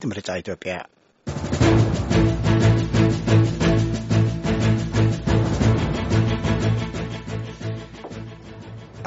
ምርጫ ኢትዮጵያ።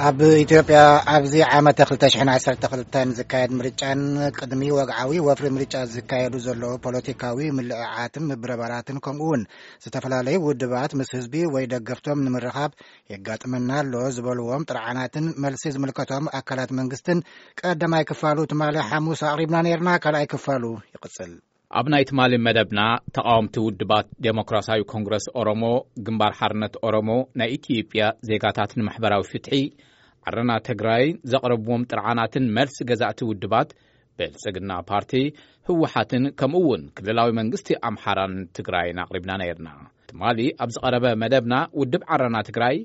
ኣብ ኢትዮጵያ ኣብዚ ዓመተ ክልተ ሽሕን ዓሰርተ ክልተን ዝካየድ ምርጫን ቅድሚ ወግዓዊ ወፍሪ ምርጫ ዝካየዱ ዘለዉ ፖለቲካዊ ምልዕዓትን ምብረባራትን ከምኡ እውን ዝተፈላለዩ ውድባት ምስ ህዝቢ ወይ ደገፍቶም ንምርኻብ የጋጥመና ኣሎ ዝበልዎም ጥርዓናትን መልሲ ዝምልከቶም ኣካላት መንግስትን ቀዳማይ ክፋሉ ትማሊ ሓሙስ ኣቕሪብና ነይርና። ካልኣይ ክፋሉ ይቕጽል። ኣብ ናይ ትማሊ መደብና ተቓወምቲ ውድባት ዴሞክራሲያዊ ኮንግረስ ኦሮሞ፣ ግንባር ሓርነት ኦሮሞ፣ ናይ ኢትዮጵያ ዜጋታት ንማሕበራዊ ፍትሒ፣ ዓረና ትግራይ ዘቕረብዎም ጥርዓናትን መልሲ ገዛእቲ ውድባት ብልጽግና ፓርቲ፣ ህወሓትን ከምኡ እውን ክልላዊ መንግስቲ ኣምሓራን ትግራይን ኣቕሪብና ነይርና። ትማሊ ኣብ ዝቐረበ መደብና ውድብ ዓረና ትግራይ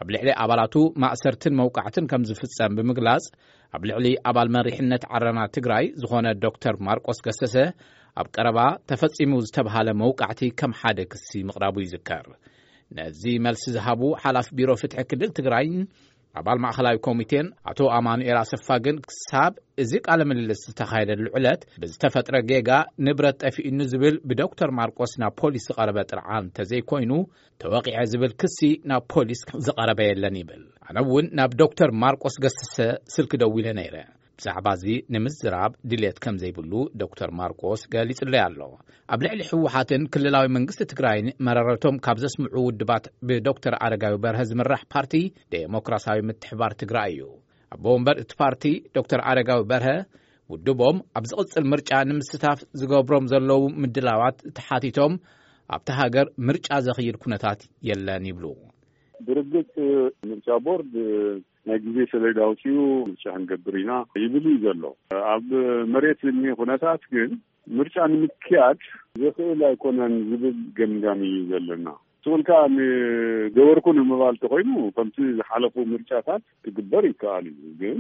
ኣብ ልዕሊ ኣባላቱ ማእሰርትን መውቃዕትን ከም ዝፍጸም ብምግላጽ፣ ኣብ ልዕሊ ኣባል መሪሕነት ዓረና ትግራይ ዝኾነ ዶክተር ማርቆስ ገሰሰ ኣብ ቀረባ ተፈጺሙ ዝተብሃለ መውቃዕቲ ከም ሓደ ክሲ ምቕራቡ ይዝከር። ነዚ መልሲ ዝሃቡ ሓላፊ ቢሮ ፍትሒ ክልል ትግራይን ኣባል ማእኸላዊ ኮሚቴን ኣቶ ኣማኑኤል ኣሰፋ ግን ክሳብ እዚ ቃለ ምልልስ ዝተኻየደሉ ዕለት ብዝተፈጥረ ጌጋ ንብረት ጠፊኡኒ ዝብል ብዶክተር ማርቆስ ናብ ፖሊስ ዝቐረበ ጥርዓን እንተዘይኮይኑ፣ ተወቒዐ ዝብል ክሲ ናብ ፖሊስ ዝቐረበ የለን ይብል። ኣነ እውን ናብ ዶክተር ማርቆስ ገሰሰ ስልኪ ደዊለ ነይረ። ብዛዕባ እዚ ንምዝራብ ድልየት ከም ዘይብሉ ዶክተር ማርቆስ ገሊጹለይ ኣሎ። ኣብ ልዕሊ ህወሓትን ክልላዊ መንግስቲ ትግራይን መረረቶም ካብ ዘስምዑ ውድባት ብዶክተር ኣረጋዊ በርሀ ዝምራሕ ፓርቲ ዴሞክራሲያዊ ምትሕባር ትግራይ እዩ። ኣቦ ወንበር እቲ ፓርቲ ዶክተር ኣረጋዊ በርሀ ውድቦም ኣብ ዝቕጽል ምርጫ ንምስታፍ ዝገብሮም ዘለዉ ምድላዋት ተሓቲቶም ኣብቲ ሃገር ምርጫ ዘኽይድ ኩነታት የለን ይብሉ። ብርግጽ ምርጫ ቦርድ ናይ ግዜ ሰሌዳ ኣውጺኡ ምርጫ ክንገብር ኢና ይብል እዩ ዘሎ። ኣብ መሬት ዝኒሀ ኩነታት ግን ምርጫ ንምክያድ ዘኽእል ኣይኮነን ዝብል ገምጋም እዩ ዘለና። ስቕ ኢልካ ንገበርኩ ንምባል ተኾይኑ ከምቲ ዝሓለፉ ምርጫታት ክግበር ይከኣል እዩ። ግን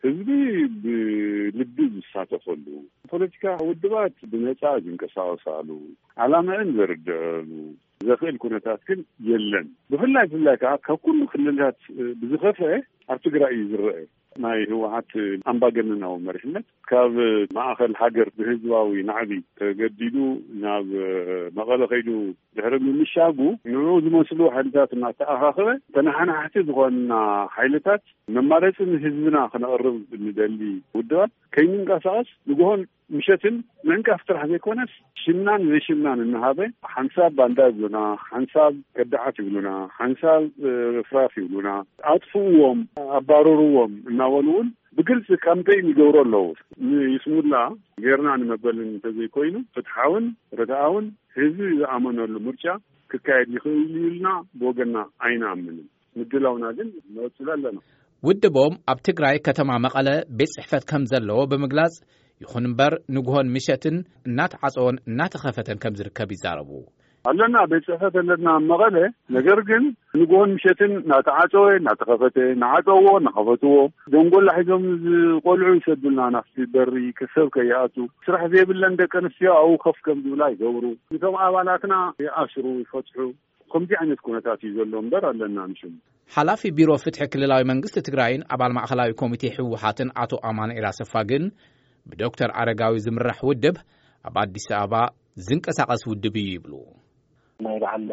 ህዝቢ ብልቢ ዝሳተፈሉ፣ ፖለቲካ ውድባት ብነጻ ዝንቀሳቐሳሉ፣ ዓላምዐን ዘርድዐሉ ዘኽእል ኩነታት ግን የለን። ብፍላይ ብፍላይ ከዓ ካብ ኩሉ ክልላት ብዝኸፍአ ኣብ ትግራይ እዩ ዝረአ። ናይ ህወሓት ኣምባገነናዊ መሪሕነት ካብ ማእኸል ሃገር ብህዝባዊ ናዕቢ ተገዲዱ ናብ መቐለ ከይዱ ድሕሪ ምምሻጉ ንዕኡ ዝመስሉ ሓይልታት እናተኣኻኸበ ተነሓናሕቲ ዝኾንና ሓይልታት መማረፂ ንህዝብና ክነቕርብ ንደሊ ውድባት ከይንንቀሳቐስ ንግሆን ምሸትን ምዕንቃፍ ጥራሕ ዘይኮነስ ሽምናን ዘይሽምናን እናሃበ ሓንሳብ ባንዳ ይብሉና፣ ሓንሳብ ከዳዓት ይብሉና፣ ሓንሳብ ርፍራፍ ይብሉና፣ ኣጥፍእዎም፣ ኣባረርዎም እናበሉ እውን ብግልፂ ካምፔይን ይገብሩ ኣለዉ። ንይስሙላ ጌርና ንመበልን እንተዘይኮይኑ ፍትሓውን ርትዓውን ህዝቢ ዝኣመነሉ ምርጫ ክካየድ ይኽእል እዩ ኢልና ብወገንና ኣይንኣምንን። ምድላውና ግን ንቕፅል ኣለና። ውድቦም ኣብ ትግራይ ከተማ መቐለ ቤት ጽሕፈት ከም ዘለዎ ብምግላጽ፣ ይኹን እምበር ንግሆን ምሸትን እናተዓጸወን እናተኸፈተን ከም ዝርከብ ይዛረቡ። ኣለና፣ ቤት ጽሕፈት ኣለና ኣብ መቐለ። ነገር ግን ንግሆን ምሸትን እናተዓጸወ እናተኸፈተ፣ እናዓጸውዎ እናኸፈትዎ፣ ደንጎላ ሒዞም ዝቆልዑ ይሰዱልና ናብቲ በሪ፣ ከሰብ ከይኣቱ። ስራሕ ዘይብለን ደቂ ኣንስትዮ ኣብኡ ከፍ ከም ዝብላ ይገብሩ። ነቶም ኣባላትና ይኣስሩ፣ ይፈትሑ። ከምዚ ዓይነት ኩነታት እዩ ዘሎ እምበር ኣለና ንሽም። ሓላፊ ቢሮ ፍትሒ ክልላዊ መንግስቲ ትግራይን ኣባል ማእኸላዊ ኮሚቴ ህወሓትን ኣቶ ኣማኑኤል ኣሰፋ ግን ብዶክተር ኣረጋዊ ዝምራሕ ውድብ ኣብ ኣዲስ ኣበባ ዝንቀሳቐስ ውድብ እዩ ይብሉ። ናይ በዓል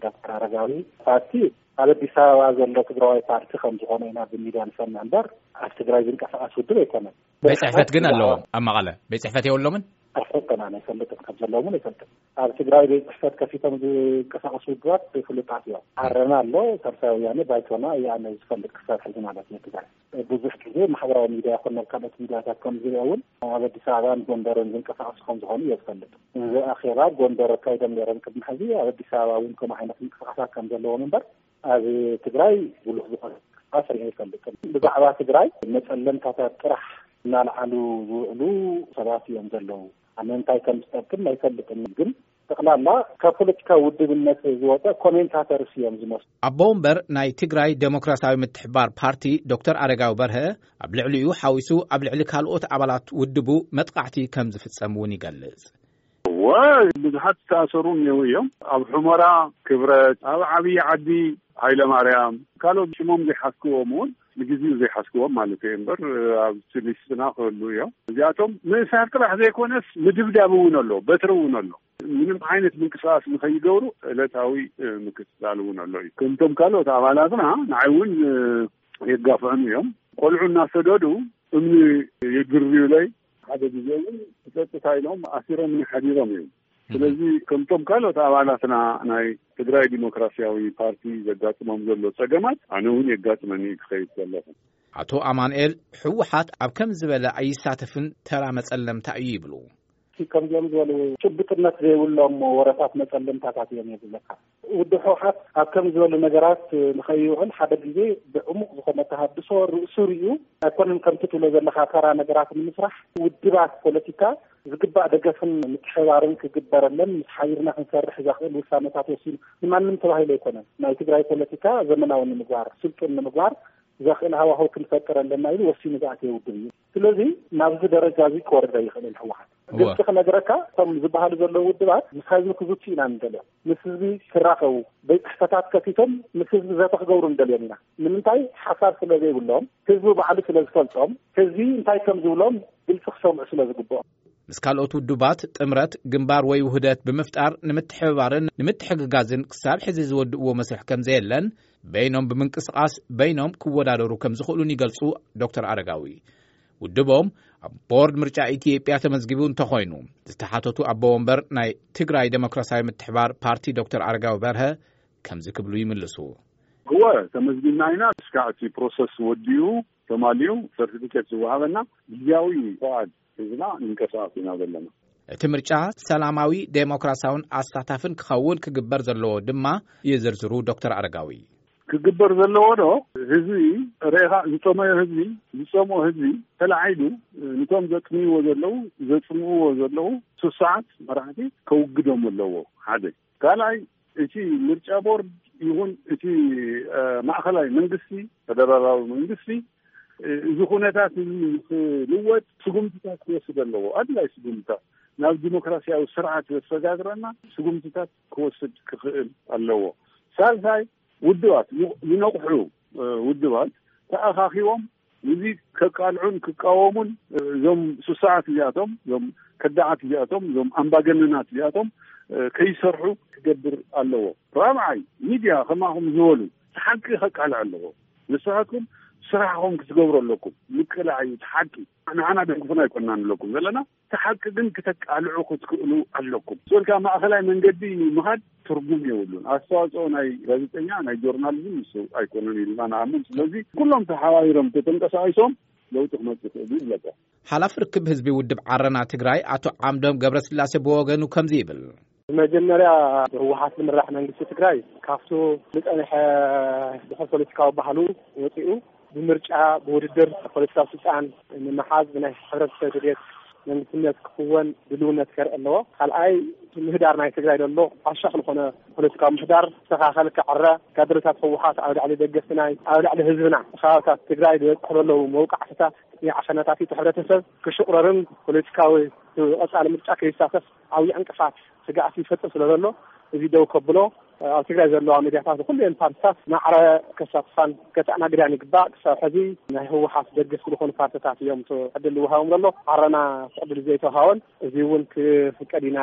ዶክተር ኣረጋዊ ፓርቲ ኣብ ኣዲስ ኣበባ ዘሎ ትግራዋይ ፓርቲ ከም ዝኾነ ኢና ብሚድያ ንሰምዕ እምበር ኣብ ትግራይ ዝንቀሳቐስ ውድብ ኣይኮነን። ቤት ጽሕፈት ግን ኣለዎም ኣብ መቐለ? ቤት ጽሕፈት የብሎምን? ኣይፈልጥን፣ ኣነ ኣይፈልጥን፣ ከም ዘለዎም እውን ኣይፈልጥን። ኣብ ትግራይ ቤት ጽሕፈት ከፊቶም ዝንቀሳቐሱ ውድባት ፍሉጣት እዮም። ዓረና ኣሎ፣ ሳልሳይ ወያነ፣ ባይቶና እየ ኣነ ዝፈልጥ ክሳብ ሕዚ ማለት እዩ። ትግራይ ብዙሕ ግዜ ማሕበራዊ ሚድያ ይኹን ናብ ካልኦት ሚድያታት ከም ዝሪኦ እውን ኣብ ኣዲስ ኣበባን ጎንደርን ዝንቀሳቐሱ ከም ዝኾኑ እየ ዝፈልጥ። እዚ ኣኼባ ጎንደር ኣካይዶም ነይሮም ቅድሚ ሕዚ፣ ኣብ ኣዲስ ኣበባ እውን ከምኡ ዓይነት ምንቅስቃሳት ከም ዘለዎም እምበር ኣብ ትግራይ ብሉሕ ዝኾነ ምንቅስቃስ ሪአ ኣይፈልጥን። ብዛዕባ ትግራይ መፀለምታታት ጥራሕ እናልዓሉ ዝውዕሉ ሰባት እዮም ዘለዉ። ኣነ እንታይ ከም ዝጠቅም ኣይፈልጥን፣ ግን ጠቕላላ ካብ ፖለቲካዊ ውድብነት ዝወፀ ኮሜንታተርስ እዮም ዝመስሉ። ኣቦ ወንበር ናይ ትግራይ ዴሞክራሲያዊ ምትሕባር ፓርቲ ዶክተር ኣረጋዊ በርሀ ኣብ ልዕሊኡ ሓዊሱ ኣብ ልዕሊ ካልኦት ኣባላት ውድቡ መጥቃዕቲ ከም ዝፍጸም እውን ይገልጽ። እወ፣ ብዙሓት ዝተኣሰሩ እኒአው እዮም። ኣብ ሑመራ ክብረት፣ ኣብ ዓብዪ ዓዲ ሃይለ ማርያም፣ ካልኦት ሽሞም ዘይሓዝክዎም እውን ንግዜኡ ዘይሓዝክዎም ማለት እየ እምበር፣ ኣብቲ ሊስትና ክህሉ እዮም። እዚኣቶም ምእሳር ጥራሕ ዘይኮነስ ምድብዳብ እውን ኣሎ፣ በትሪ እውን ኣሎ። ምንም ዓይነት ምንቅስቃስ ንኸይገብሩ ዕለታዊ ምክትታል እውን ኣሎ እዩ። ከምቶም ካልኦት ኣባላትና ንዓይ እውን የጋፍዑን እዮም። ቆልዑ እናሰደዱ እምኒ የግርዩለይ። ሓደ ግዜ እውን ጸጥታ ኢሎም ኣሲሮምኒ ሓዲሮም እዮም። ስለዚ ከምቶም ካልኦት ኣባላትና ናይ ትግራይ ዲሞክራሲያዊ ፓርቲ ዘጋጥሞም ዘሎ ጸገማት ኣነ እውን የጋጥመኒ ክኸይድ ዘለኹ። ኣቶ ኣማንኤል፣ ህወሓት ኣብ ከም ዝበለ ኣይሳተፍን፣ ተራ መጸለምታ እዩ ይብሉ። ከምዚኦም ዝበሉ ጭብጥነት ዘይብሎም ወረታት መጸለምታታት እዮም የብለካ። ውድብ ህወሓት ኣብ ከም ዝበሉ ነገራት ንኸይውዕል ሓደ ግዜ ብዕሙቕ ዝኾነ ተሃድሶ ርእሱ ርእዩ ኣይኮነን ከምቲ ትብሎ ዘለኻ ተራ ነገራት ንምስራሕ ውድባት ፖለቲካ ዝግባእ ደገፍን ምትሕባርን ክግበረለን ምስ ሓቢርና ክንሰርሕ ዘኽእል ውሳነታት ወሲኑ ንማንም ተባሂሉ ኣይኮነን። ናይ ትግራይ ፖለቲካ ዘመናዊ ንምግባር፣ ስልጡን ንምግባር ዘኽእል ሃዋህው ክንፈጥር ኣለና ኢሉ ወሲኑ ዝኣተየ ውድብ እዩ። ስለዚ ናብዚ ደረጃ እዚ ክወርድ ኣይኽእልን ህወሓት። እወ። ግልፂ ክነግረካ፣ እቶም ዝበሃሉ ዘለዉ ውድባት ምስ ህዝቢ ክዝቱ ኢና ንደልዮ። ምስ ህዝቢ ክራኸቡ፣ ቤት ጽሕፈታት ከፊቶም ምስ ህዝቢ ዘተ ክገብሩ ንደልዮም ኢና። ንምንታይ? ሓሳብ ስለ ዘይብሎም፣ ህዝቢ ባዕሉ ስለ ዝፈልጦም፣ ህዝቢ እንታይ ከም ዝብሎም ግልፂ ክሰምዑ ስለ ዝግብኦም። ምስ ካልኦት ውድባት ጥምረት፣ ግንባር ወይ ውህደት ብምፍጣር ንምትሕብባርን ንምትሕግጋዝን ክሳብ ሕዚ ዝወድእዎ መስርሕ ከም ዘየለን፣ በይኖም ብምንቅስቓስ በይኖም ክወዳደሩ ከም ዝኽእሉን ይገልጹ ዶክተር ኣረጋዊ። ውድቦም ኣብ ቦርድ ምርጫ ኢትዮጵያ ተመዝጊቡ እንተኾይኑ፣ ዝተሓተቱ ኣቦ ወንበር ናይ ትግራይ ዴሞክራሲያዊ ምትሕባር ፓርቲ ዶክተር ኣረጋዊ በርሀ ከምዚ ክብሉ ይምልሱ። እወ፣ ተመዝጊብና ኢና። እስካዕ እቲ ፕሮሰስ ወዲኡ ተማሊኡ ሰርቲፊኬት ዝወሃበና ግዜያዊ ፍቓድ ሒዝና ንንቀሳቐስ ኢና ዘለና። እቲ ምርጫ ሰላማዊ፣ ዴሞክራሲያውን ኣሳታፍን ክኸውን ክግበር ዘለዎ ድማ ይዝርዝሩ ዶክተር ኣረጋዊ። ክግበር ዘለዎ ዶ፣ ህዝቢ ርኢኻ ዝጠመዮ ህዝቢ፣ ዝጸምኦ ህዝቢ ተላዒሉ፣ ንቶም ዘጥምይዎ ዘለዉ፣ ዘጽምእዎ ዘለዉ ስሱዓት መራሕቲ ከውግዶም ኣለዎ። ሓደ። ካልኣይ፣ እቲ ምርጫ ቦርድ ይኹን እቲ፣ እ፣ ማእኸላይ መንግስቲ፣ ፈደራላዊ መንግስቲ፣ እ፣ እዚ ኩነታት እዚ ንክልወጥ ስጉምትታት ክወስድ ኣለዎ። ኣድላይ ስጉምትታት ናብ ዲሞክራሲያዊ ስርዓት ዘሰጋግረና ስጉምትታት ክወስድ ክኽእል ኣለዎ። ሳልሳይ፣ ውድባት ይ-፣ ይነቕሑ፣ እ፣ ውድባት ተኣኻኺቦም ነዚ ከቃልዑን ክቃወሙን፣ እ፣ እዞም ስሱዓት እዚኣቶም፣ እዞም ከዳዓት እዚኣቶም፣ እዞም ኣምባገነናት እዚኣቶም፣ እ፣ ከይሰርሑ ክገብር ኣለዎ። ራብዓይ፣ ሚድያ ከማኹም ዝበሉ እቲ ሓቂ ከቃልዕ ኣለዎ። ንስኻትኩም ስራሕኹም ክትገብሩ ኣለኩም። ምቅላዕ እዩ እቲ ሓቂ። ንዓና ደግፉና ኣይኮንና ንብለኩም ዘለና። እቲ ሓቂ ግን ክተቃልዑ ክትክእሉ ኣለኩም። ስልካ ማእኸላይ መንገዲ ምኻድ ትርጉም የብሉን። ኣስተዋፅኦ ናይ ጋዜጠኛ፣ ናይ ጆርናሊዝም ንሱ ኣይኮነን ኢልና ንኣምን። ስለዚ ኩሎም ተሓባቢሮም ተተንቀሳቒሶም ለውጢ ክመፅእ ይኽእል እዩ ይብለካ። ሓላፊ ርክብ ህዝቢ ውድብ ዓረና ትግራይ ኣቶ ዓምዶም ገብረስላሴ ብወገኑ ከምዚ ይብል። ብመጀመርያ ብህወሓት ዝምራሕ መንግስቲ ትግራይ ካብቱ ዝፀንሐ ድሑር ፖለቲካዊ ባህሉ ወፂኡ ብምርጫ፣ ብውድድር ፖለቲካዊ ስልጣን ንምሓዝ ብናይ ሕብረተሰብ ድሌት መንግስትነት ክኽወን ድልውነት ከርኢ ኣለዎ። ካልኣይ፣ እቲ ምህዳር ናይ ትግራይ ዘሎ ዓሻኽ ዝኾነ ፖለቲካዊ ምህዳር ዝተኻኸል ክዕረ፣ ካድረታት ህወሓት ኣብ ልዕሊ ደገፍቲ ናይ፣ ኣብ ልዕሊ ህዝብና፣ ከባብታት ትግራይ ዝበፅሑ ዘለዉ መውቃዕትታት፣ ዓፈናታት እቲ ሕብረተሰብ ክሽቑረርን ፖለቲካዊ ቀፃሊ ምርጫ ከይሳተፍ ዓብዪ ዕንቅፋት ስግኣት ይፈጥር ስለ ዘሎ፣ እዚ ደው ከብሎ፣ ኣብ ትግራይ ዘለዋ ሚድያታት፣ ኩለን ፓርቲታት ማዕረ ከሳትፋን ከተኣናግዳን ይግባእ። ክሳብ ሕዚ ናይ ህወሓት ደገፍቲ ዝኾኑ ፓርቲታት እዮም እቲ ዕድል ዝወሃቦም ዘሎ። ዓረና እቲ ዕድል ዘይተወሃቦን፣ እዚ እውን ክፍቀድ ኢና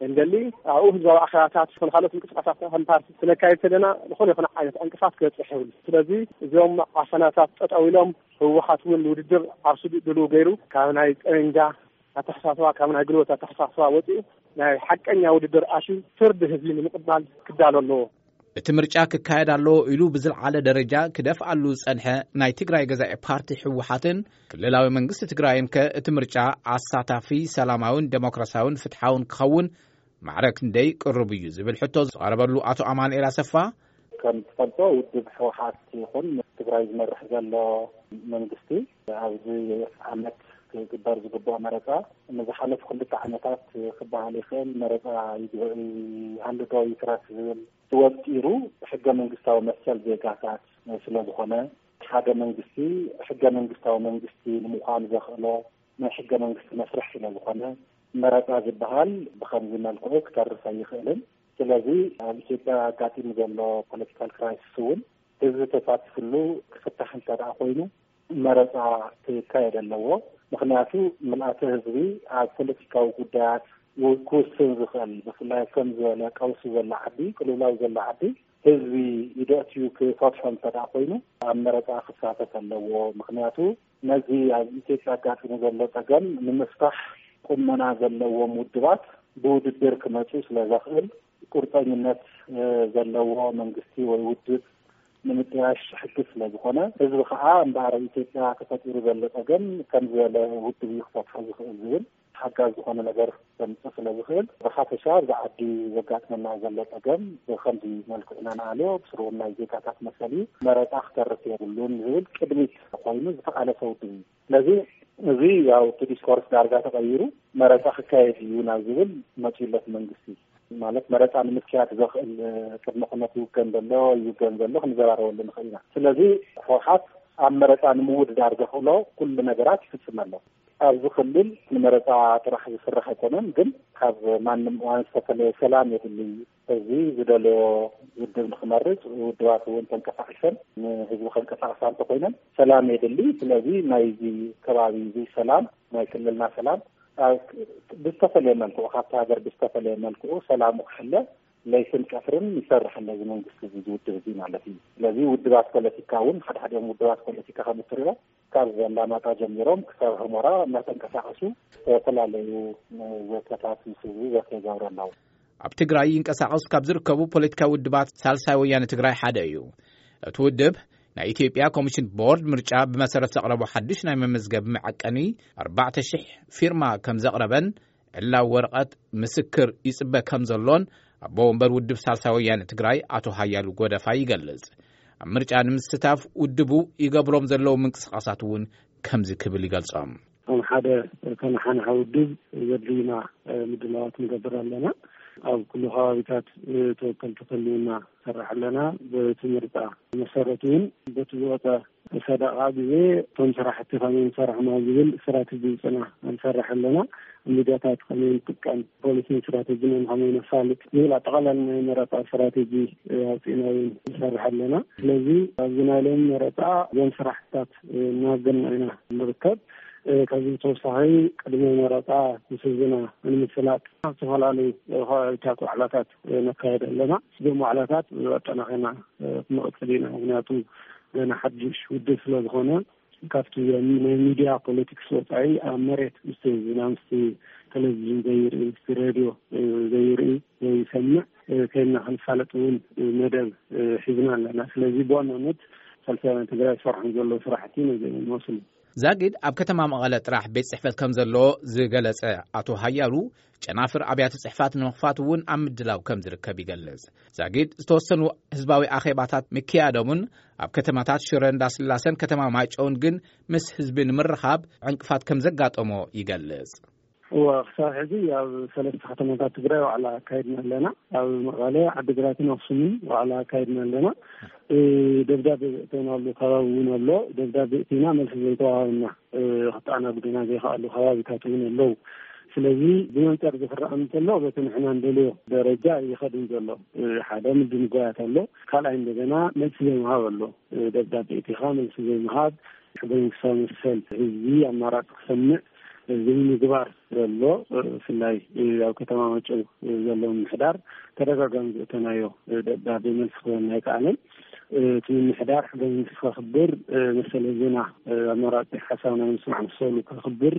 እንደሊ። ኣብኡ ህዝባዊ ኣኼባታት ይኹን ካልኦት ምንቅስቃሳት ከም ፓርቲ ክነካይድ ከለና ዝኾነ ይኹን ዓይነት ዕንቅፋት ክበፅሕ ይብል። ስለዚ እዞም ዓፈናታት ጠጠው ኢሎም፣ ህወሓት እውን ንውድድር ዓርሱ ድሉው ገይሩ ካብ ናይ ጠበንጃ ኣተሓሳስባ፣ ካብ ናይ ጉልበት ኣተሓሳስባ ወፂኡ ናይ ሓቀኛ ውድድር ኣትዩ ፍርዲ ህዝቢ ንምቕባል ክዳሎ ኣለዎ። እቲ ምርጫ ክካየድ ኣለዎ ኢሉ ብዝለዓለ ደረጃ ክደፍኣሉ ዝጸንሐ ናይ ትግራይ ገዛኢ ፓርቲ ህወሓትን ክልላዊ መንግስቲ ትግራይን ከ እቲ ምርጫ ኣሳታፊ፣ ሰላማውን ዴሞክራሲያውን ፍትሓውን ክኸውን ማዕረ ክንደይ ቅሩብ እዩ ዝብል ሕቶ ዝቐረበሉ ኣቶ ኣማኑኤል ኣሰፋ፣ ከም ትፈልጦ ውድብ ህወሓት ይኹን ትግራይ ዝመርሕ ዘሎ መንግስቲ ኣብዚ ዓመት ክግበር ዝግብኦ መረፃ ንዝሓለፉ ክልተ ዓመታት ክበሃል ይኽእል መረፃ ይግበ-፣ ይሃሉ ዶ ይትረፍ ዝብል ተወጢሩ ሕገ መንግስታዊ መሰል ዜጋታት ስለ ዝኾነ፣ ሓደ መንግስቲ ሕገ መንግስታዊ መንግስቲ ንምዃን ዘኽእሎ ናይ ሕገ መንግስቲ መስርሕ ስለ ዝኾነ፣ መረፃ ዝበሃል ብኸምዚ መልክዑ ክተርፍ ኣይኽእልን። ስለዚ ኣብ ኢትዮጵያ ኣጋጢሙ ዘሎ ፖለቲካል ክራይሲስ እውን ህዝቢ ተሳቲፍሉ ክፍታሕ እንተ ደኣ ኮይኑ መረፃ ክካየድ ኣለዎ። ምኽንያቱ ምልኣተ ህዝቢ ኣብ ፖለቲካዊ ጉዳያት ው- ክውስን ዝኽእል፣ ብፍላይ ከም ዝበለ ቀውሲ ዘሎ ዓዲ፣ ቅልውላው ዘሎ ዓዲ ህዝቢ ኢደእትዩ ክፈትሖ እንተ ደኣ ኮይኑ ኣብ መረፃ ክሳተፍ ኣለዎ። ምኽንያቱ ነዚ ኣብ ኢትዮጵያ ኣጋጢሙ ዘሎ ጸገም ንምፍታሕ ቁመና ዘለዎም ውድባት ብውድድር ክመጹ ስለ ዘኽእል ቁርጠኝነት እ፣ ዘለዎ መንግስቲ ወይ ውድብ ንምጥያሽ ሕጊ ስለ ዝኾነ ህዝቢ ከዓ እምበኣር ኣብ ኢትዮጵያ ተፈጢሩ ዘሎ ጸገም ከም ዝበለ ውድብ እዩ ክፈትሖ ዝኽእል ዝብል ሓጋዝ ዝኾነ ነገር ከምፅእ ስለ ዝኽእል ብሓፈሻ ኣብዚ ዓዲ ዘጋጥመና ዘሎ ፀገም ብከምዚ መልክዑ ኢና ንኣልዮ ብስርውና ዜጋታት መሰል እዩ መረፃ ክተርፍ የብሉን ዝብል ቅድሚት ኮይኑ ዝተቃለሰ ውድብ እዩ። ስለዚ እዚ ያው እቲ ዲስኮርስ ዳርጋ ተቀይሩ መረፃ ክካየድ እዩ ናብ ዝብል መፂኡ ኣሎ እቲ መንግስቲ። ማለት መረፃ ንምክያድ ዘኽእል ቅድመ ኩነት ይውገን ዘሎ ይውገን ዘሎ ክንዘራረበሉ ንኽእል ኢና። ስለዚ ህወሓት ኣብ መረፃ ንምውድዳር ዘኽእሎ ኩሉ ነገራት ይፍፅም ኣሎ። ኣብዚ ክልል ንመረፃ ጥራሕ ዝስራሕ ኣይኮነን፣ ግን ካብ ማንም እዋን ዝተፈለየ ሰላም የድሊ። እዚ ዝደለዮ ውድብ ንክመርፅ ውድባት እውን ተንቀሳቂሰን ንህዝቢ ከንቀሳቅሳ እንተኮይነን ሰላም የድሊ። ስለዚ ናይዚ ከባቢ እዚ ሰላም ናይ ክልልና ሰላም ብዝተፈለየ መልክዑ ካብቲ ሃገር ብዝተፈለየ መልክዑ ሰላሙ ክሕለ ለይትን ቀትርን ይሰርሕ ኣሎ እዚ መንግስቲ እዚ ዝውድብ እዚ ማለት እዩ። ስለዚ ውድባት ፖለቲካ እውን ሓድሓዲኦም ውድባት ፖለቲካ ከም እትሪኦ ካብ ኣላማጣ ጀሚሮም ክሳብ ሑመራ እናተንቀሳቀሱ ዝተፈላለዩ ዘተታት ምስ ህዝቢ ዘተ ይገብሩ ኣለዉ። ኣብ ትግራይ ይንቀሳቐሱ ካብ ዝርከቡ ፖለቲካዊ ውድባት ሳልሳይ ወያነ ትግራይ ሓደ እዩ። እቲ ውድብ ናይ ኢትዮጵያ ኮሚሽን ቦርድ ምርጫ ብመሰረት ዘቕረቦ ሓድሽ ናይ መመዝገቢ መዐቀኒ ኣርባዕተ ሽሕ ፊርማ ከም ዘቕረበን ዕላዊ ወረቐት ምስክር ይጽበ ከም ዘሎን ኣቦ ወንበር ውድብ ሳልሳይ ወያነ ትግራይ ኣቶ ሃያሉ ጎደፋ ይገልጽ። ኣብ ምርጫ ንምስታፍ ውድቡ ይገብሮም ዘለዉ ምንቅስቓሳት እውን ከምዚ ክብል ይገልጾም። ከም ሓደ ተነሓናሒ ውድብ ዘድልዩና ምድላዋት ንገብር ኣለና። ኣብ ኩሉ ከባቢታት ተወከልቲ ክህልውና ንሰርሕ ኣለና። በቲ ምርጫ መሰረት እውን በቲ ዝወፀ ሰደቓ ግዜ እቶም ስራሕቲ ከመይ ንሰርሖም ኣብ ዝብል ስትራቴጂ ውፅና ንሰርሕ ኣለና። ሚዲያታት ከመይ ንጥቀም፣ ፖሊሲን ስትራቴጂን ከመይ ነፋልጥ ዝብል ኣጠቓላሊ ናይ መረፃ ስትራቴጂ ኣውፂእና እውን ንሰርሕ ኣለና። ስለዚ ኣብዚ ናይ ሎሚ መረፃ እዞም ስራሕትታት እናገና ኢና ንርከብ። ካብዚ ብተወሳኺ ቅድሚ መረፃ ምስ ህዝብና ንምፍላጥ ኣብ ዝተፈላለዩ ከባቢታት ዋዕላታት ነካየድ ኣለና። እዞም ዋዕላታት ኣጠናኺርና ክንቕፅል ኢና። ምክንያቱ ገና ሓድሽ ውድብ ስለ ዝኾነ ካብቲ ናይ ሚድያ ፖለቲክስ ወፃኢ ኣብ መሬት ምስቲ ህዝብና ምስቲ ቴሌቪዥን ዘይርኢ፣ ምስቲ ሬድዮ ዘይርኢ ዘይሰምዕ ከይድና ክንፋለጥ እውን መደብ ሒዝና ኣለና። ስለዚ ብዋናነት ሳልሳይ ወያነ ትግራይ ዝሰርሖም ዘለዉ ስራሕቲ ነዚኦም ይመስሉ። ዛጊድ ኣብ ከተማ መቐለ ጥራሕ ቤት ጽሕፈት ከም ዘለዎ ዝገለጸ ኣቶ ሃያሉ፣ ጨናፍር ኣብያተ ጽሕፋት ንምኽፋት እውን ኣብ ምድላው ከም ዝርከብ ይገልጽ። ዛጊድ ዝተወሰኑ ህዝባዊ ኣኼባታት ምክያዶምን ኣብ ከተማታት ሽረ እንዳስላሰን ከተማ ማይጨውን ግን ምስ ህዝቢ ንምርኻብ ዕንቅፋት ከም ዘጋጠሞ ይገልጽ። እወ፣ ክሳብ ሕዚ ኣብ ሰለስተ ከተማታት ትግራይ ዋዕላ ኣካይድና ኣለና። ኣብ መቐለ፣ ዓዲግራትን ኣክሱምን ዋዕላ ኣካይድና ኣለና። እ፣ ደብዳቤ ዘእተናሉ ከባቢ እውን ኣሎ። ደብዳቤ እቲና መልሲ ዘይተዋሃበና፣ እ፣ ክተኣናግዱና ዘይከኣሉ ከባቢታት እውን ኣለዉ። ስለዚ ብመንፅር እዚ ክረኣ እንተሎ በቲ ንሕና እንደልዮ ደረጃ ይኸድን ዘሎ። እ፣ ሓደ ምድንጓያት ኣሎ። ካልኣይ እንደገና መልሲ ዘይምሃብ ኣሎ። እ፣ ደብዳቤ እቲኻ መልሲ ዘይምሃብ፣ ሕገ መንግስታዊ መሰል ህዝቢ ኣማራፂ ክሰምዕ ዘይምግባር ዘሎ፣ ብፍላይ ኣብ ከተማ ማይጨው ዘሎ ምምሕዳር ተደጋጋሚ ዘእተናዮ ደብዳቤ መልሲ ክህበና ኣይከኣለን። እቲ ምምሕዳር ሕገ መንግስቲ ከኽብር፣ መሰል ህዝብና ኣማራፂ ሓሳብ ናይ ምስማዕ መሰሉ ከኽብር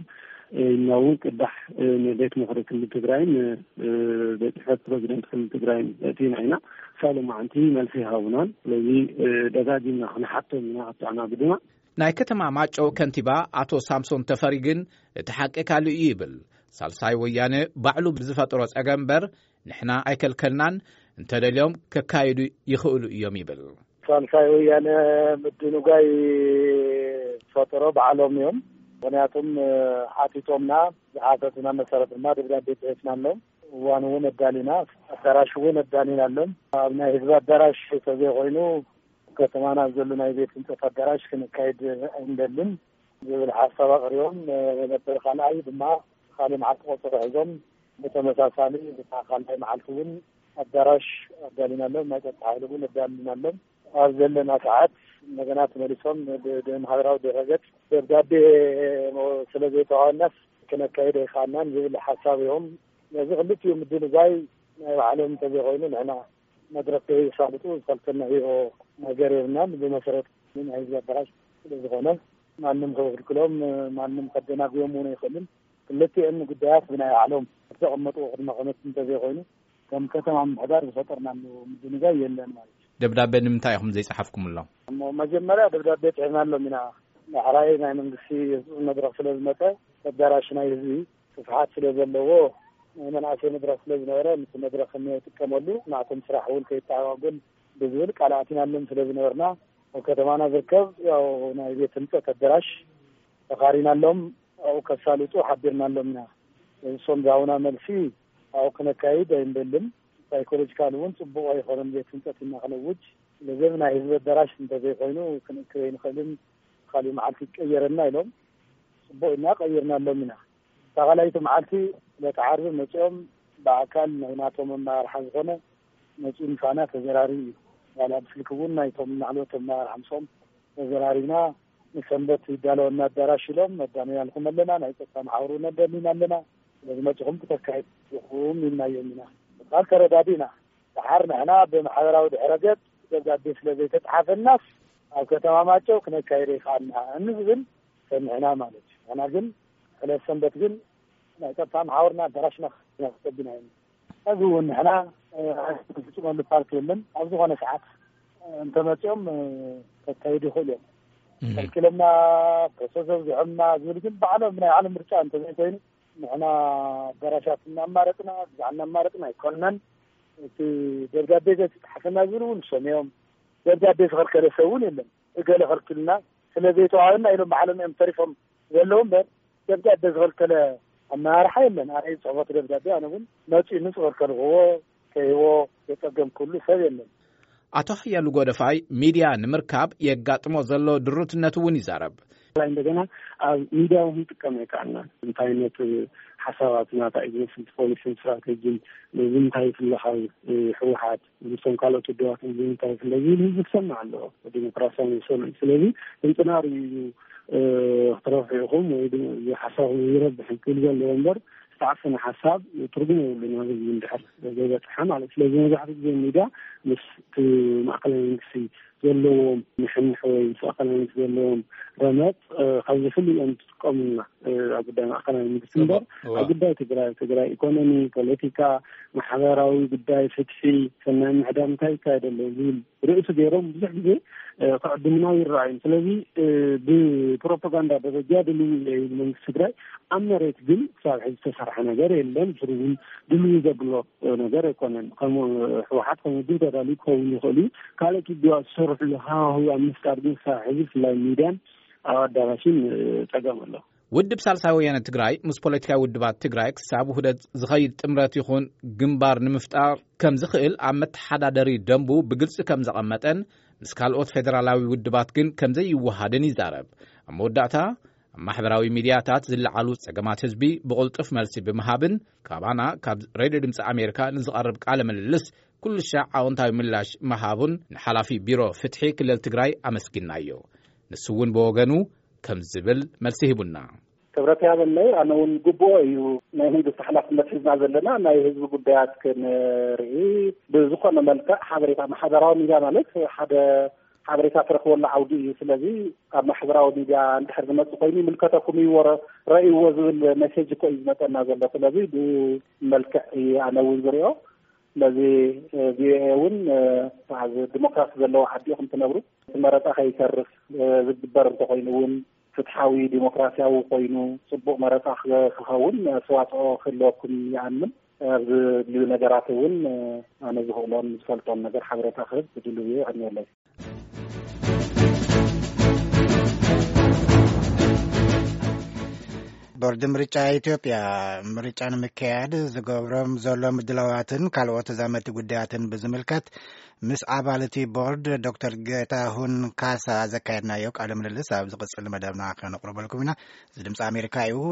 እና እውን ቅዳሕ ንቤት ምኽሪ ክልል ትግራይን ቤት ጽሕፈት ፕሬዚደንት ክልል ትግራይን እቲና ኢና። ክሳብ ሎማዓንቲ መልሲ ይሃቡናን። ስለዚ ደጋጊምና ክንሓቶም ኢና፣ ክተኣናግዱና። ናይ ከተማ ማጨው ከንቲባ ኣቶ ሳምሶን ተፈሪ ግን እቲ ሓቂ ካልእ እዩ ይብል። ሳልሳይ ወያነ ባዕሉ ብዝፈጥሮ ጸገም እምበር ንሕና ኣይከልከልናን፣ እንተደልዮም ከካይዱ ይኽእሉ እዮም ይብል። ሳልሳይ ወያነ ምድንጓይ ዝፈጠሮ ባዕሎም እዮም። ምኽንያቱም ሓቲቶምና፣ ዝሓተቱና መሰረት ድማ ደብዳቤ ጽሒፍናሎም። እዋን እውን ኣዳሊና፣ ኣዳራሽ እውን ኣዳሊናሎም። ኣብ ናይ ህዝቢ ኣዳራሽ ተዘይኮይኑ ከተማና ኣብ ዘሎ ናይ ቤት ህንፀት ኣዳራሽ ክንካይድ ኣይንደልን ዝብል ሓሳብ ኣቕሪቦም ነበር። ካልኣይ ድማ ካልእ መዓልቲ ቆፀሮ ሒዞም ብተመሳሳሊ ብታ ካልኣይ መዓልቲ እውን ኣዳራሽ ኣዳሊናሎም፣ ናይ ፀጥታ ሓይሊ እውን ኣዳሊናሎም። ኣብ ዘለና ሰዓት እንደገና ተመሊሶም ብ- ብማሕበራዊ ድረገጽ ደብዳቤ ስለ ዘይተዋናስ ክነካይዶ ይኸኣልናን ዝብል ሓሳብ እዮም። ነዚ ክልቲኡ ምድንጋይ ናይ ባዕሎም እንተዘይኮይኑ ንሕና መድረክ ከይሳልጡ ዝፈልጠና ህይቦ ነገር የብልናን። ብመሰረት ናይ ህዝቢ ኣዳራሽ ስለ ዝኾነ ማንም ከብክልክሎም፣ ማንም ከደናግዮም እውን ኣይኽእልን። ክልቲኦም ጉዳያት ብናይ ባዕሎም ዝተቐመጡ ቅድመ ኩነት እንተዘይኮይኑ ከም ከተማ ምምሕዳር ዝፈጠርናሉ ምድንጋይ የለን ማለት እዩ። ደብዳቤ ንምንታይ ኢኹም ዘይጸሓፍኩምሎም? እሞ መጀመርያ ደብዳቤ ጽሒፍናሎም ኢና። ዳሕራይ ናይ መንግስቲ መድረኽ ስለ ዝመጸ ኣዳራሽ ናይ ህዝቢ ስፍሓት ስለ ዘለዎ ናይ መናእሰይ መድረኽ ስለ ዝነበረ ምስ መድረኽ እንጥቀመሉ ናቶም ስራሕ እውን ከይተኣጓጎል ብዝብል ቃል ኣቲናሎም ስለ ዝነበርና ኣብ ከተማና ዝርከብ ያው ናይ ቤት ህንፀት ኣዳራሽ ተኻሪናሎም ኣብኡ ከሳልጡ ሓቢርናሎም ኢና። እሶም ዝሃቡና መልሲ ኣብኡ ክነካይድ ኣይንደልን። ሳይኮሎጂካል እውን ፅቡቕ ኣይኮነን ቤት ህንፀት ኢና ክነውጅ። ስለዚ ናይ ህዝቢ ኣዳራሽ እንተዘይኮይኑ ክንእክብ ኣይንኽእልን። ካሊእ መዓልቲ ይቀየረና ኢሎም ፅቡቕ ኢና ቀይርናሎም ኢና። እታ ካልኣይቲ መዓልቲ ዕለተ ዓርቢ መፂኦም ብኣካል ናይ ናቶም ኣመራርሓ ዝኾነ መፂኡ ምሳና ተዘራሪቡ እዩ። ዋላ ብስልኪ እውን ናይቶም ላዕለዎት ኣመራርሓ ምስኦም ተዘራሪብና ንሰንበት ይዳለወና ኣዳራሽ ኢሎም መዳንያልኩም ኣለና፣ ናይ ፀጥታ መሓውሩ ነደኒና ኣለና። ስለዚ መፂኹም ክተካይድኹም ኢልናዮም ኢና። ምባል ተረዳዲእና። ደሓር ንሕና ብማሕበራዊ ድሕረ ገፅ ደብዳቤ ስለ ዘይተፅሓፈናስ ኣብ ከተማ ማጨው ክነካይደ ይኸኣልና እንዝብል ሰሚዕና ማለት እዩ። ንሕና ግን ዕለት ሰንበት ግን ናይ ጸጥታ መሓውርና ኣዳራሽና ከቢና ኢና። ሕዚ እውን ንሕና ፍጹመሉ ፓርክ የለን። ኣብ ዝኾነ ሰዓት እንተመጺኦም ከካይዱ ይኽእሉ እዮም። ከልኪሎምና ፕሮሰስ ኣብዚሖምና ዝብል ግን ባዕሎም ናይ ባዕሎም ምርጫ እንተዘይኮይኑ ንሕና ኣዳራሻት እናማረጽና ግዛዕ እናማረጽና ኣይኮንናን። እቲ ደብዳቤ ዘይተጻሓፈና ዝብል እውን ንሶም እዮም። ደብዳቤ ዝኸልከለ ሰብ እውን የለን። እገለ ከልኪሉና ስለ ዘይተዋሃበና ኢሎም ባዕሎም እዮም ተሪፎም ዘለዉ እምበር ደብዳቤ ዝኸልከለ ኣመራርሓ የለን። ኣነ ጽሑፎት ደብዳቤ ኣነ እውን መጺኡ ምስ ዝኸልከልዎ ከይዎ ዘጸገምኩሉ ሰብ የለን። ኣቶ ሓያሉ ጎደፋይ ሚድያ ንምርካብ የጋጥሞ ዘሎ ድሩትነት እውን ይዛረብ። ላይ እንደገና ኣብ ሚድያ እውን ይጥቀም ኣይከኣልናን። እንታይ ዓይነት ሓሳባት ናታ እዩ ዝመስል ፖሊሲን ስትራተጂን ንምንታይ ይፍለ ካብ ህወሓት ምስቶም ካልኦት ውድባት ንምንታይ ይፍለ ዝብል ህዝቢ ክሰምዕ ኣለዎ። ዲሞክራሲያዊ መሰሉ እዩ። ስለዚ እንፅናር እዩ ክትረብሑ ኢኹም ወይ ድማ እዚ ሓሳብ ይረብሕ ክብል ዘለዎ እምበር ዝተዓፈነ ሓሳብ ትርጉም የብሉን ናብ ህዝቢ እንድሕር ዘይበፅሐ ማለት። ስለዚ መብዛሕትኡ ግዜ ሚድያ ምስ እቲ ማእከላይ መንግስቲ ዘለዎም ንሕንሕ ወይ ምስ ማእከላይ መንግስቲ ዘለዎም ረመፅ ካብዚ ፍልይ እዮም ዝጥቀሙልና ኣብ ጉዳይ ማእከላይ መንግስቲ እምበር ኣብ ጉዳይ ትግራይ ትግራይ ኢኮኖሚ ፖለቲካ ማሕበራዊ ጉዳይ ፍትሒ ሰናይ ምሕዳር እንታይ ይካየድ ኣሎ ዝብል ርእሲ ገይሮም ብዙሕ ግዜ ክዕድሙና ይረኣዩ። ስለዚ ብፕሮፓጋንዳ ደረጃ ድልው እየ ይብል መንግስቲ ትግራይ ኣብ መሬት ግን ክሳብ ሕዚ ዝተሰርሐ ነገር የለን። ብስሩ እውን ድልው ዘብሎ ነገር ኣይኮነን። ከም ህወሓት ከም ውድብ ተዳልዩ ክኸውን ይኽእል እዩ። ካልኦት ውድባት ዝሰርሕሉ ሃዋህው ኣብ ምፍጣር ግን ክሳብ ሕዚ ብፍላይ ሚድያን ኣብ ኣዳራሽን ፀገም ኣሎ። ውድብ ሳልሳይ ወያነ ትግራይ ምስ ፖለቲካዊ ውድባት ትግራይ ክሳብ ውህደት ዝኸይድ ጥምረት ይኹን ግንባር ንምፍጣር ከም ዝኽእል ኣብ መተሓዳደሪ ደንቡ ብግልፂ ከም ዘቐመጠን ምስ ካልኦት ፌደራላዊ ውድባት ግን ከም ዘይወሃድን ይዛረብ። ኣብ መወዳእታ ኣብ ማሕበራዊ ሚድያታት ዝለዓሉ ጸገማት ህዝቢ ብቕልጡፍ መልሲ ብምሃብን ካባና ካብ ሬድዮ ድምፂ ኣሜሪካ ንዝቐርብ ቃለ ምልልስ ኩሉ ሻዕ ኣወንታዊ ምላሽ ምሃቡን ንሓላፊ ቢሮ ፍትሒ ክልል ትግራይ ኣመስጊናዮ። ንሱ እውን ብወገኑ ከም ዝብል መልሲ ሂቡና። ክብረት ያበለይ ኣነ እውን ግቡኦ እዩ ናይ መንግስቲ ሓላፍነት ሒዝና ዘለና ናይ ህዝቢ ጉዳያት ክንርኢ ብዝኾነ መልክዕ ሓበሬታ ማሕበራዊ ሚድያ ማለት ሓደ ሓበሬታ ትረኽበሉ ዓውዲ እዩ። ስለዚ ኣብ ማሕበራዊ ሚድያ እንድሕር ዝመፅእ ኮይኑ ይምልከተኩም እዩ ረእይዎ ዝብል ሜሴጅ እኮ እዩ ዝመፀና ዘሎ። ስለዚ ብኡ መልክዕ እዩ ኣነ እውን ዝሪኦ። ስለዚ ቪኦኤ እውን ዲሞክራሲ ዘለዎ ዓዲ ኢኹም ትነብሩ። እቲ መረፃ ከይተርፍ ዝግበር እንተኮይኑ እውን ፍትሓዊ ዲሞክራሲያዊ ኮይኑ ፅቡቅ መረፃ ክኸውን ኣስተዋፅኦ ክህልወኩም ይኣምን። ኣብዚ ድልዩ ነገራት እውን ኣነ ዝኽእሎን ዝፈልጦን ነገር ሓበሬታ ክህብ ድልው እየ። የቐንየለይ። ቦርድ ምርጫ ኢትዮጵያ ምርጫ ንምክያድ ዝገብሮም ዘሎ ምድላዋትን ካልኦት ተዛመድቲ ጉዳያትን ብዝምልከት ምስ ኣባል እቲ ቦርድ ዶክተር ጌታሁን ካሳ ዘካየድናዮ ቃለ ምልልስ ኣብ ዝቕጽል መደብና ከነቕርበልኩም ኢና። እዚ ድምፂ ኣሜሪካ እዩ።